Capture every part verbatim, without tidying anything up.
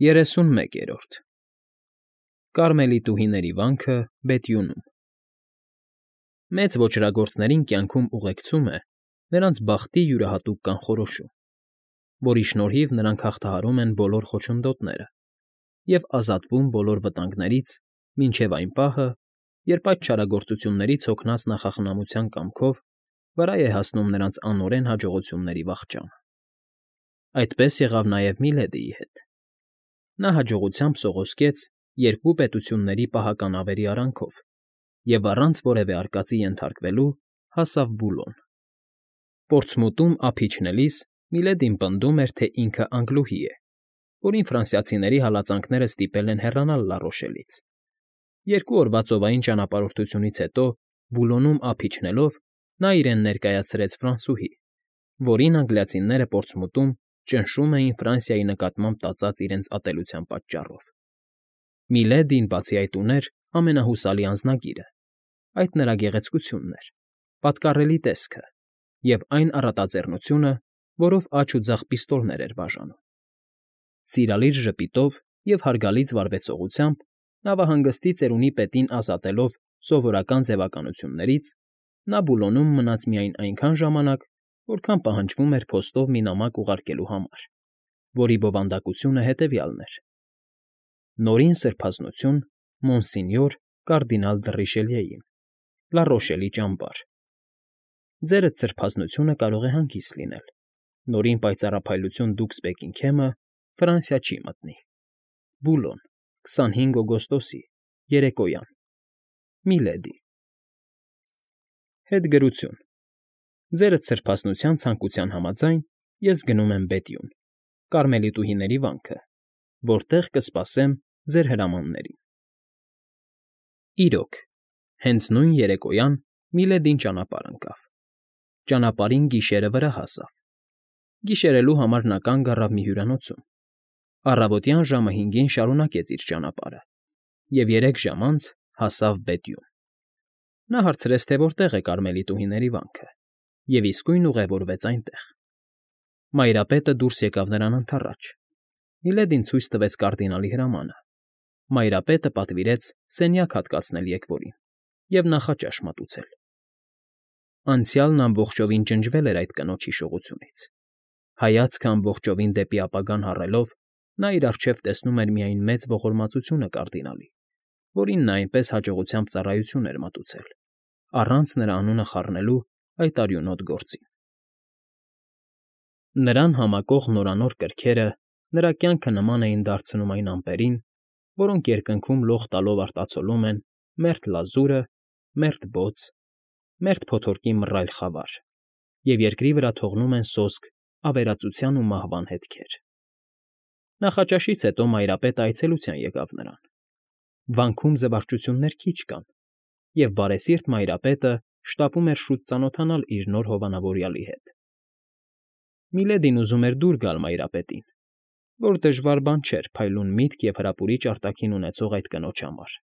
ԵՐԵՍՈՒՆՄԵԿԵՐՈՐԴ Կարմելիտուհիների վանքը Բետյունում Մեծ ոճրագործներին կյանքում ուղեկցում է նրանց բախտի յուրահատուկ կանխորոշում, որի շնորհիվ նրանք հաղթահարում են բոլոր խոչընդոտները և ազատվում բոլոր վտանգներից մինչև այն պահը, երբ այդ չարագործություններից հոգնած նախախնամության կամքով վրա է հասնում նրանց անօրեն հաջողությունների վախճանը։ Այդպես եղավ նաև Միլեդիի հետ. նա հաջողությամբ սողոսկեց երկու պետությունների պահականավերի արանքով և առանց որևէ արկածի ենթարկվելու հասավ Բուլոն։ Պորտսմութում ափ իջնելիս Միլեդին պնդում էր, թե ինքը անգլուհի է, որին ֆրանսիացիների հալածանքները ստիպել են հեռանալ Լառոշելից։ Երկու օրվա ծովային ճանապարհորդությունից հետո Բուլոնում ափ իջնելով նա իրեն ներկայացրեց ֆրանսուհի, որին անգլիացիները Պորտսմութում ճնշում էին Ֆրանսիայի նկատմամբ տածած իրենց ատելության պատճառով։ Միլեդին, բացի այդ, ուներ ամենահուսալի անձնագիրը, այդ նրա գեղեցկությունն էր, պատկառելի տեսքը և այն առատաձեռնությունը, որով աջ ու ձախ պիստոլներ էր բաժանում։ Սիրալիր ժպիտով և հարգալից վարվեցողությամբ, նավահանգստի ծերունի պետին ազատելով սովորական ձևականություններից, նա Բուլոնում մնաց միայն այնքան ժամանակ, որքան պահանջվում էր փոստով մի նամակ ուղարկելու համար, որի բովանդակությունը հետևյալն էր. Նորին սրբազնություն Մոնսինյոր կարդինալ դը Ռիշելիեին, Լառոշելի ճամբար։ Ձերդ սրբազնությունը կարող է հանգիստ լինել, նորին պայծառափայլություն դուքս Բեքինգհեմը Ֆրանսիա չի մտնի։ Բուլոն, քսանհինգ օգոստոսի, երեկոյան, Միլեդի։ Հետգրություն Ձերդ սրբազնության ցանկության համաձայն ես գնում եմ Բետյուն, Կարմելիտուհիների վանքը, որտեղ կսպասեմ ձեր հրամաններին։ Իրոք, հենց նույն երեկոյան Միլեդին ճանապարհ ընկավ։ Ճանապարհին գիշերը վրա հասավ։ Գիշերելու համար նա կանգ առավ մի հյուրանոցում։ Առավոտյան ժամը հինգին շարունակեց իր ճանապարհը և երեք ժամ անց հասավ Բետյուն։ Նա հարցրեց, թե որտեղ է Կարմելիտուհիների վանքը, և իսկույն ուղևորվեց այնտեղ։ Մայրապետը դուրս եկավ նրան ընդառաջ։ Միլեդին ցույց տվեց կարդինալի հրամանը։ Մայրապետը պատվիրեց սենյակ հատկացնել եկվորին և նախաճաշ մատուցել։ Անցյալն ամբողջովին ջնջվել էր այդ կնոջ հիշողությունից։ Հայացքը ամբողջովին դեպի ապագան հառելով, նա իր առջև տեսնում էր միայն մեծ ողորմածությունը կարդինալի, որին նա այնպես հաջողությամբ ծառայություն էր մատուցել, առանց նրա անունը խառնելու այդ արյունոտ գործին։ Նրան համակող նորանոր կրքերը նրա կյանքը նման էին դարձնում այն ամպերին, որոնք երկնքում լող տալով արտացոլում են մերթ լազուրը, մերթ բոց, մերթ փոթորկի մռայլ խավար և երկրի վրա թողնում են սոսկ ավերածության ու մահվան հետքեր։ Նախաճաշից հետո Մայրապետը այցելության եկավ նրան։ Վանքում զվարճություններ քիչ կան, և բարեսիրտ Մայրապետը շտապում էր շուտ ծանոթանալ իր նոր հովանավորյալի հետ։ Միլեդին ուզում էր դուր գալ Մայրապետին, որ դժվար բան չէր փայլուն միտք և հրապուրիչ արտաքին ունեցող այդ կնոջ համար։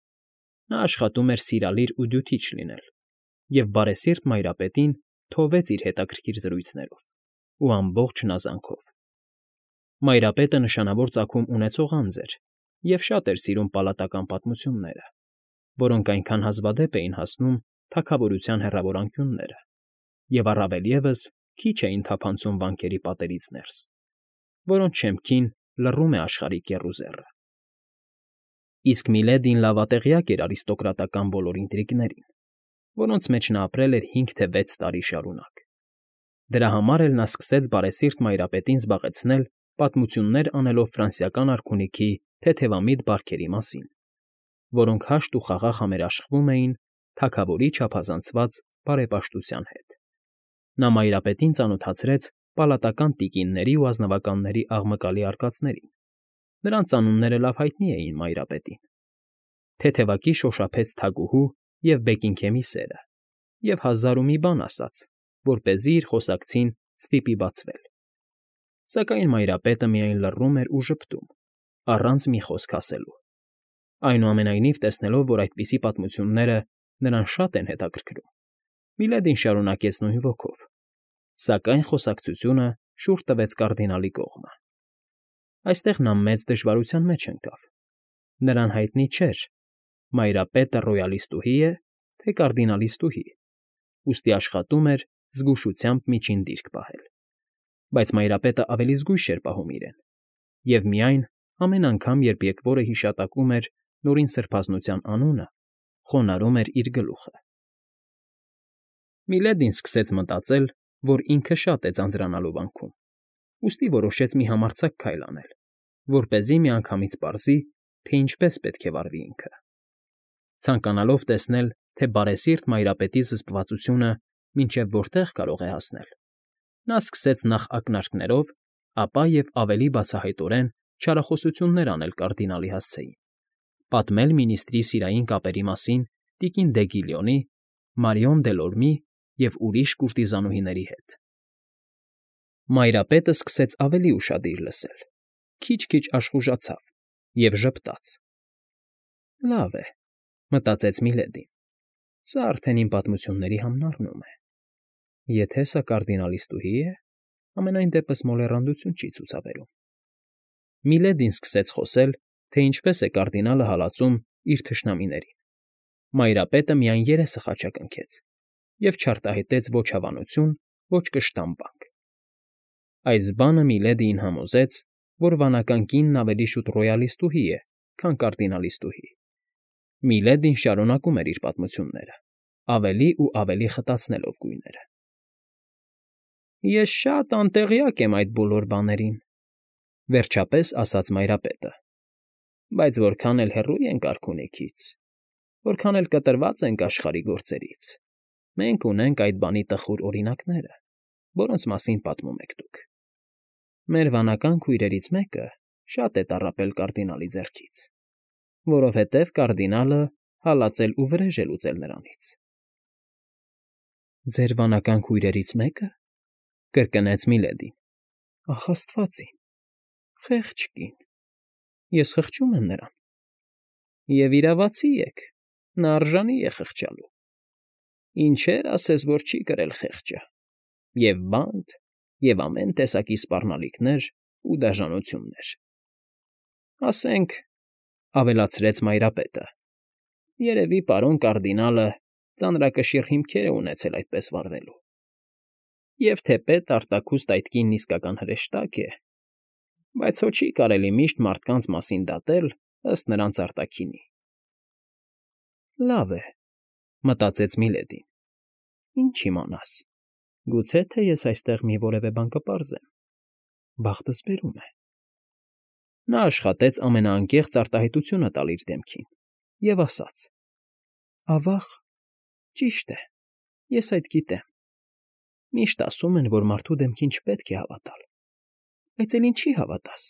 Նա աշխատում էր սիրալիր ու դյութիչ լինել, և բարեսիրտ Մայրապետին թովեց իր հետաքրքիր զրույցներով ու ամբողջ հնազանքով։ Մայրապետը նշանավոր ծագում ունեցող անձ էր և շատ էր սիրում պալատական պատմությունները, որոնք այնքան հազվադեպ էին հասնում թագավորության հեռավոր անկյունները և առավել ևս քիչ էին թափանցում վանքերի պատերից ներս, որոնց շեմքին լռում է աշխարհի կեռուզեռը։ Իսկ Միլեդին լավատեղյակ էր արիստոկրատական բոլոր ինտրիգներին, որոնց մեջ նա ապրել էր հինգ թե վեց տարի շարունակ։ Դրա համար էլ նա սկսեց բարեսիրտ Մայրապետին զբաղեցնել պատմություններ անելով ֆրանսիական արքունիքի թեթևամիտ բարքերի մասին, որոնք հաշտ ու խաղաղ համերաշխվում էին թագավորի չափազանցված բարեպաշտության հետ։ Նա Մայրապետին ծանոթացրեց պալատական տիկինների ու ազնվականների աղմկալի արկածներին։ Նրանց անունները լավ հայտնի էին Մայրապետին։ Թեթևակի շոշափեց թագուհու և Բեքինգհեմի սերը և հազար ու մի բան ասաց, որպեսզի իր խոսակցին ստիպի բացվել։ Սակայն Մայրապետը միայն լռում էր ու ժպտում, առանց մի խոսք ասելու։ Այնուամենայնիվ, տեսնելով, որ այդպիսի պատմությունները նրան շատ են հետաքրքրում, Միլեդին շարունակեց նույն ոգով, սակայն խոսակցությունը շուռ տվեց կարդինալի կողմը։ Այստեղ նա մեծ դժվարության մեջ ընկավ. նրան հայտնի չէր՝ մայրապետը ռոյալիստուհի՞ է, թե կարդինալիստուհի, ուստի աշխատում էր զգուշությամբ միջին դիրք պահել, բայց մայրապետը ավելի զգույշ էր պահում իրեն, և միայն ամեն անգամ, երբ եկվորը հիշատակում էր նորին սրբազնության անունը, խոնարհում էր իր գլուխը։ Միլեդին սկսեց մտածել, որ ինքը շատ է ձանձրանալու վանքում, ուստի որոշեց մի համարձակ քայլ անել, որպեսզի միանգամից պարզի, թե ինչպես պետք է վարվի ինքը։ Ցանկանալով տեսնել, թե բարեսիրտ մայրապետի զսպվածությունը մինչև որտեղ կարող է հասնել, նա սկսեց նախ ակնարկներով, ապա և ավելի բացահայտորեն չարախոսություններ անել կարդինալի հասցեին, պատմել մինիստրի սիրային կապերի մասին տիկին դե Գիլյոնի, Մարիոն Դելորմի և ուրիշ կուրտիզանուհիների հետ։ Մայրապետը սկսեց ավելի ուշադիր լսել, քիչ֊քիչ աշխուժացավ և ժպտաց։ «Լավ է,֊ մտածեց Միլեդին,֊ սա արդեն իմ պատմությունների համնարնում է։ Եթե սա կարդինալիստուհի է, համենայն դեպս մոլեռանդություն չի ցուցաբերում»։ Միլեդին սկսեց խոսել, թե ինչպես է կարդինալը հալածում իր թշնամիներին։ Մայրապետը միայն երեսը խաչակնքեց և չարտահայտեց ոչ հավանություն, ոչ կշտամբանք։ Այս բանը Միլեդիին համոզեց, որ վանական կինն ավելի շուտ ռոյալիստուհի է, քան կարդինալիստուհի։ Միլեդին շարունակում էր իր պատմությունները, ավելի ու ավելի խտացնելով գույները։ «Ես շատ անտեղյակ եմ այդ բոլոր բաներին,֊ վերջապես ասաց մայրապետը,֊ բայց որքան էլ հեռու ենք արքունիքից, որքան էլ կտրված ենք աշխարհի գործերից, մենք ունենք այդ բանի տխուր օրինակները, որոնց մասին պատմում եք դուք։ Մեր վանական քույրերից մեկը շատ է տառապել կարդինալի ձեռքից, որովհետև կարդինալը հալածել ու վրեժ է լուծել նրանից»։ «Ձեր վանական քույրերից մեկը,֊ կրկնեց Միլեդին,֊ ախ, աստված իմ, խեղճ կին, ես խղճում եմ նրան։ Եվ իրավացի եք, նա արժանի է խղճալու։ Ինչեր ասես, որ չի կրել խեղճը, և բանտ, և ամեն տեսակի սպառնալիքներ ու դաժանություններ։ Ասենք,֊ ավելացրեց մայրապետը,֊ երևի պարոն կարդինալը ծանրակշիռ հիմքեր է ունեցել այդպես վարվելու։ Եվ թեպետ արտաքուստ այդ կինն իսկական հրեշտակ է, բայց հո չի կարելի միշտ մարդկանց մասին դատել ըստ նրանց արտաքինի»։ «Լավ է,֊ մտածեց Միլեդին,֊ ինչ իմանաս, գուցե թե ես այստեղ մի որևէ բան կպարզեմ, բախտս բերում է»։ Նա աշխատեց ամենաանկեղծ արտահայտությունը տալ իր դեմքին և ասաց. «Ավա՜ղ, ճիշտ է, ես այդ գիտեմ։ Միշտ ասում են, որ մարդու դեմքին չպետք է հավատալ, բայց էլ ինչի՞ հավատաս,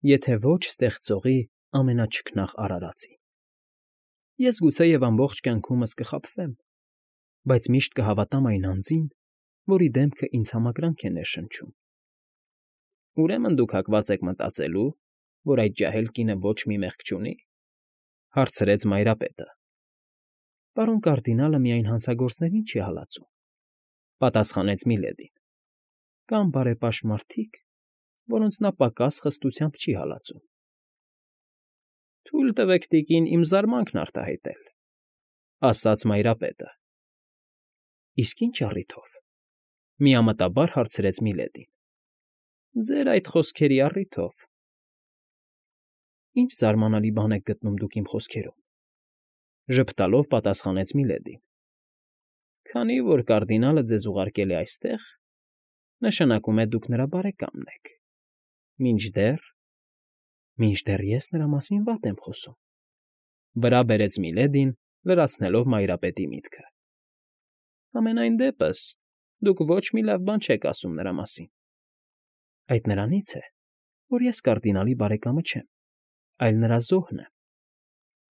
եթե ոչ ստեղծողի ամենաչքնաղ արարածի։ Ես գուցեև ամբողջ կյանքումս կխաբվեմ, բայց միշտ կհավատամ այն անձին, որի դեմքը ինձ համակրանք է ներշնչում»։ «Ուրեմն դուք հակված եք մտածելու, որ այդ ջահել կինը ոչ մի մեղք չունի,֊ հարցրեց մայրապետը։ «Պարոն կարդինալը միայն հանցագործներին չի հալածում,֊ պատասխանեց Միլեդին,֊ կան բարեպաշտ մարդիկ, որոնց նա պակաս խստությամբ չի հալածում»։ «Թույլ տվեք, տիկին, իմ զարմանքն արտահայտել,֊ ասաց մայրապետը։ «Իսկ ի՞նչ առիթով,֊ միամտաբար հարցրեց Միլեդին։ «Ձեր այդ խոսքերի առիթով»։ «Ի՞նչ զարմանալի բան եք գտնում դուք իմ խոսքերում,֊ ժպտալով պատասխանեց Միլեդին։ «Քանի որ կարդինալը ձեզ ուղարկել է այստեղ, նշանակում է դուք նրա բարեկամն եք, մինչդեռ…» «Մինչդեռ ես նրա մասին վատ եմ խոսում,֊ վրա բերեց Միլեդին, լրացնելով մայրապետի միտքը։ «Համենայն դեպս դուք ոչ մի լավ բան չեք ասում նրա մասին»։ «Այդ նրանից է, որ ես կարդինալի բարեկամը չեմ, այլ նրա զոհն եմ,֊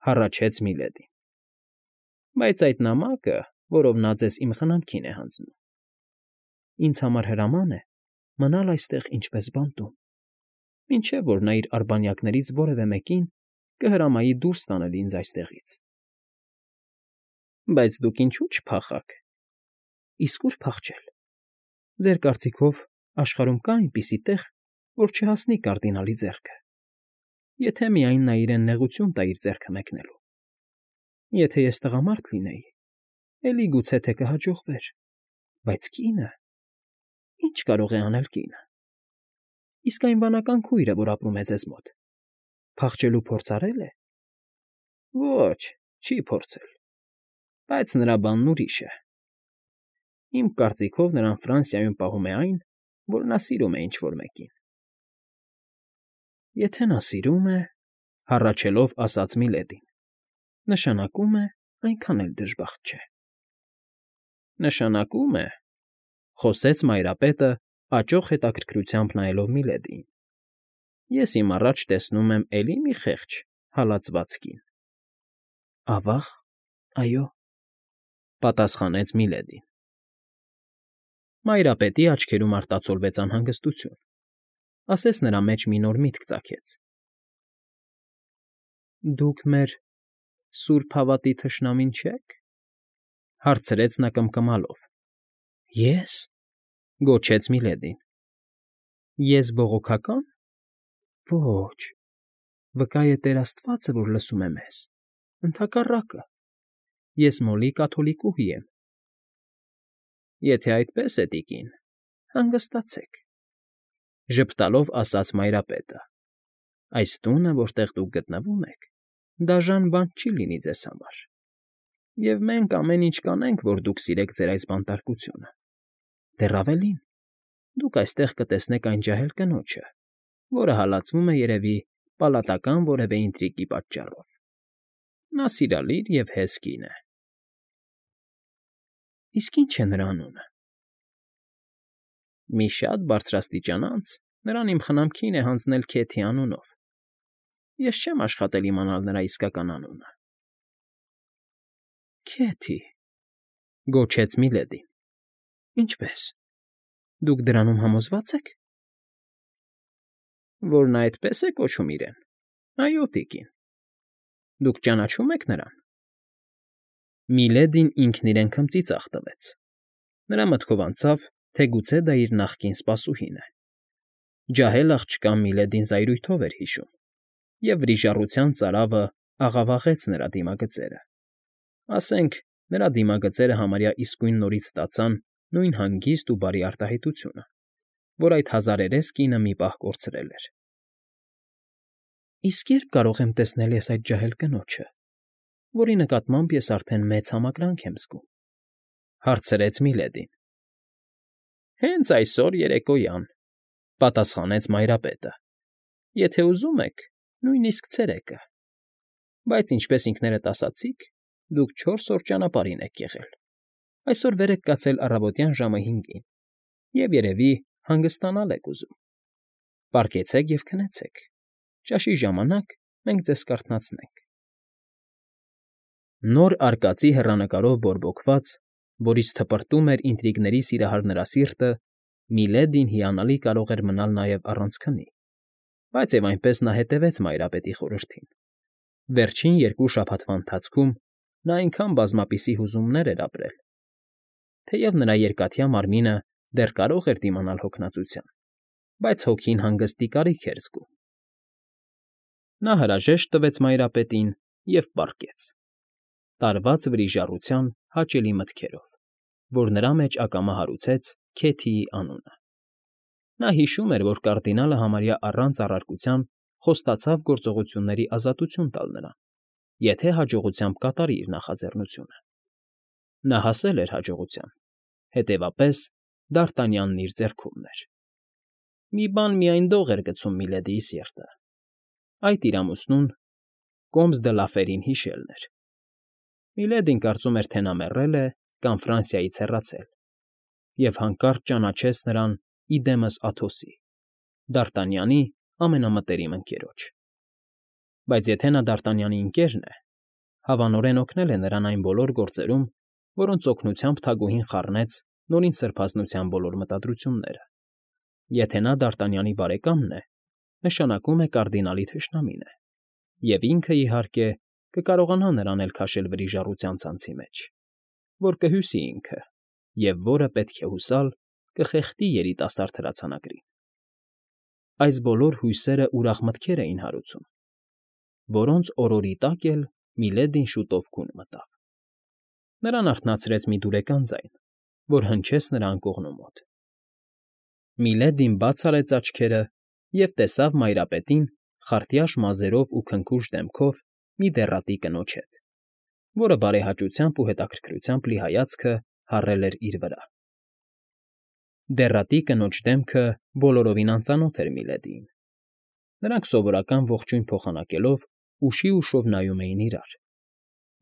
հառաչեց Միլեդին։ «Բայց այդ նամակը, որով նա ձեզ իմ խնամքին է հանձնում… Ինձ համար հրաման է մնալ այստեղ ինչպես բանտում, մինչև որ նա իր արբանյակներից որևէ մեկին կհրամայի դուրս տանել ինձ այստեղից»։ «Բայց դուք ինչո՞ւ չփախաք»։ «Իսկ ո՞ւր փախչել։ Ձեր կարծիքով աշխարհում կա այնպիսի տեղ, որ չհասնի կարդինալի ձեռքը, եթե միայն նա իրեն նեղություն տա իր ձեռքը մեկնելու։ Եթե ես տղամարդ լինեի, էլի գուցե թե կհաջողվեր, բայց կինը… Ի՞նչ կարող է անել կինը։ Իսկ այն վանական քույրը, որ ապրում է ձեզ մոտ, փախչելու փորձ արել է։ Ոչ, չի փորձել, բայց նրա բանն ուրիշ է։ Իմ կարծիքով նրան Ֆրանսիայում պահում է այն, որ նա սիրում է ինչ֊որ մեկին։ Եթե նա սիրում է,֊ հառաչելով ասաց Միլեդին,֊ նշանակում է, այնքան էլ դժբախտ չէ։ Նշանակում է,֊ խոսեց Մայրապետը, աճող հետաքրքրությամբ նայելով Միլեդիին,֊ ես իմ առաջ տեսնում եմ էլի մի խեղճ, հալածված կին։ Ավա՞ղ, այո,֊ պատասխանեց Միլեդին։ Մայրապետի աչքերում արտացոլվեց անհանգստություն, ասես նրա մեջ մի նոր միտք ծագեց։ Դուք մեր սուրբ հավատի թշնամին չե՞ք,֊ հարցրեց նա կմկմալով։ Ե՞ս,֊ գոչեց Միլեդին։ Ես բողոքակա՞ն։ Ոչ, վկա է Տեր Աստվածը, որ լսում է մեզ, ընդհակառակը, ես մոլի կաթոլիկուհի եմ։ Եթե այդպես է, տիկին, հանգստացեք,֊ ժպտալով ասաց Մայրապետը։ Այս տունը, որտեղ դուք գտնվում եք, դաժան բան չի լինի ձեզ համար, և մենք ամեն ինչ կանենք, որ դուք սիրեք ձեր այս բանտարկությունը։ Դեռ ավելին, դուք այստեղ կտեսնեք այն ջահել կնոջը, որը հալածվում է, երևի, պալատական որևէ ինտրիգի պատճառով։ Նա սիրալիր և հեզ կին է։ Իսկ ի՞նչ է նրա անունը։ Մի շատ բարձրաստիճան անձ նրան իմ խնամքին է հանձնել Քեթի անունով։ Ես չեմ աշխատել իմանալ նրա իսկական անունը։ Քեթի,֊ գոչեց Միլեդին։ Ինչպե՞ս, դուք դրանում համոզվա՞ծ եք։ Որ նա այդպես է կոչում իրեն։ Այո, տիկին։ Դուք ճանաչո՞ւմ եք նրան։ Միլեդին ինքն իրեն քմծիծաղ տվեց։ Նրա մտքով անցավ, թե գուցե դա իր նախկին սպասուհին է։ Ջահել աղջկան Միլեդին զայրույթով էր հիշում, և վրիժառության ծարավը աղավաղեց նրա դիմագծերը։ Ասենք, նրա դիմագծերը համարյա իսկույն նորից ստացան նույն հանգիստ ու բարի արտահայտությունը, որ այդ հազարերես կինը մի պահ կորցրել էր։ Իսկ ե՞րբ կարող եմ տեսնել ես այդ ջահել կնոջը, որի նկատմամբ ես արդեն մեծ համակրանք եմ զգում,֊ հարցրեց Միլեդին։ Հենց այսօր երեկոյան,֊ պատասխանեց Մայրապետը։ Եթե ուզում եք, նույնիսկ ցերեկը։ Բայց ինչպես ինքներդ ասացիք, դուք չորս օր ճանապարհին եք եղել։ Այսօր վեր եք կացել առավոտյան ժամը հինգին և, երևի, հանգստանալ եք ուզում։ Պառկեցեք և քնեցեք, ճաշի ժամանակ մենք ձեզ կարթնացնենք։ Նոր արկածի հեռանկարով բորբոքված, որից թպրտում էր ինտրիգների սիրահար նրա սիրտը, Միլեդին հիանալի կարող էր մնալ նաև առանց քնի, բայց և այնպես նա հետևեց Մայրապետի խորհրդին։ Վերջին երկու շաբաթվա ընթացքում նա այնքան բազմապիսի հուզումներ էր ապրել, թեև նրա երկաթյա մարմինը դեռ կարող էր դիմանալ հոգնածության, բայց հոգին հանգստի կարիք էր զգում։ Նա հրաժեշտ տվեց Մայրապետին և պառկեց, տարված վրիժառության հաճելի մտքերով, որ նրա մեջ ակամա հարուցեց Քեթիի անունը։ Նա հիշում էր, որ կարդինալը համարյա առանց առարկության խոստացավ գործողությունների ազատություն տալ նրան, եթե հաջողությամբ կատարի իր նախաձեռնությունը։ Նա հասել էր հաջողության, հետևապես Դ'Արտանյանն իր ձեռքումն էր։ Մի բան միայն դող էր գցում Միլեդիի սիրտը. այդ իր ամուսնուն Կոմս դը Լաֆերին հիշելն էր։ Միլեդին կարծում էր, թե նա մեռել է կամ Ֆրանսիայից հեռացել, և հանկարծ ճանաչեց նրան ի դեմս Աթոսի, Դ'Արտանյանի ամենամտերիմ ընկերոջ։ Բայց եթե նա Դ'Արտանյանի ընկերն է, հավանորեն օգնել է նրան այն բոլոր գործերում, որոնց օգնությամբ թագուհին խառնեց Նորին Սրբազնության բոլոր մտադրությունները։ Եթե նա Դ'Արտանյանի բարեկամն է, նշանակում է կարդինալի թշնամին է, և ինքը, իհարկե, կկարողանա նրան էլ քաշել վրիժառության ցանցի մեջ, որ կհյուսի ինքը, և որը, պետք է հուսալ, կխեղդի երիտասարդ հրացանագրին։ այս բոլոր հույսերը ուրախ մտքեր էին հարուցում, որոնց օրորի տակ էլ Միլեդին շուտով քուն մտավ. նրան արթնացրեց մի դուրեկան ձայն, որ հնչեց նրա անկողնու մոտ. Միլեդին բաց արեց աչքերը և տեսավ մայրապետին խարտյաշ մազերով ու քնքուշ դեմքով մի դեռատի կնոջ հետ, որը բարեհաճությամբ ու հետաքրքրությամբ լի հայացքը հառել էր իր վրա. Դեռատի կնոջ դեմքը բոլորովին անծանոթ էր Միլեդիին. նրանք սովորական ողջույն փոխանակելով ուշի ուշով նայում էին իրար.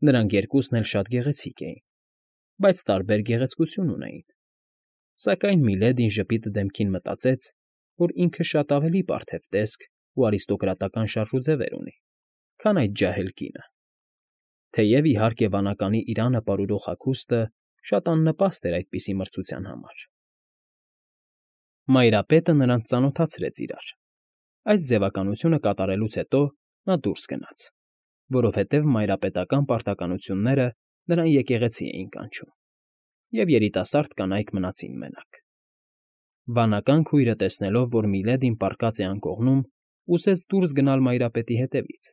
նրանք երկուսն էլ շատ գեղեցիկ էին, բայց տարբեր գեղեցկություն ունեին, սակայն Միլեդին ժպիտը դեմքին մտածեց, որ ինքը շատ ավելի պարթև տեսք ու արիստոկրատական շարժուձևեր ունի, քան այդ ջահել կինը, թեև, իհարկե, վանականի իրանը պարուրող հագուստը շատ աննպաստ էր այդպիսի մրցության համար։ Մայրապետը նրանց ծանոթացրեց իրար. այս ձևականությունը կատարելուց հետո նա դուրս գնաց, որովհետև մայրապետական պարտականությունները նրան եկեղեցի էին կանչում, և երիտասարդ կանայք մնացին մենակ։ Վանական քույրը, տեսնելով, որ Միլեդին պառկած է անկողնում, ուզեց դուրս գնալ մայրապետի հետևից,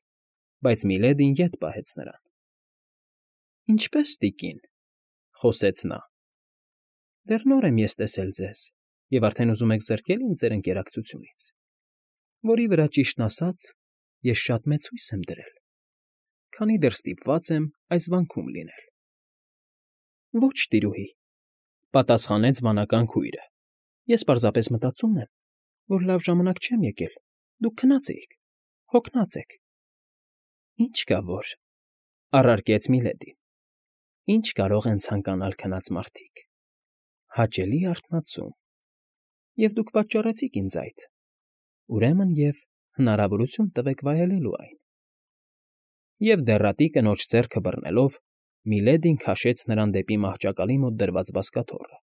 բայց Միլեդին ետ պահեց նրան։ ֊ Ինչպե՞ս, տիկին,֊ խոսեց նա։֊ Դեռ նոր եմ ես տեսել ձեզ և արդեն ուզում եք զրկել ինձ ձեր ընկերակցությունից, որի վրա, ճիշտն ասած, ես շատ մեծ հույս եմ դրել, քանի դեռ ստիպված եմ այս վանքում լինել։ ֊ Ո՛չ, տիրուհի,֊ պատասխանեց վանական քույրը,֊ ես պարզապես մտածում եմ, որ լավ ժամանակ չեմ եկել, դուք քնած էիք, հոգնած եք։ ֊ Ինչ կա որ,֊ առարկեց Միլեդին,֊ ինչ կարող են ցանկանալ քնած մարդիկ… հաճելի արթնացում… Եվ դուք պատճառեցիք ինձ այդ, ուրեմն և հնարավորություն տվեք վայելելու այն… Եվ դեռատի կնոջ ձեռքը բռնելով՝ Միլեդին քաշեց նրան դեպի մահճակալի մոտ դրված բազկաթոռը։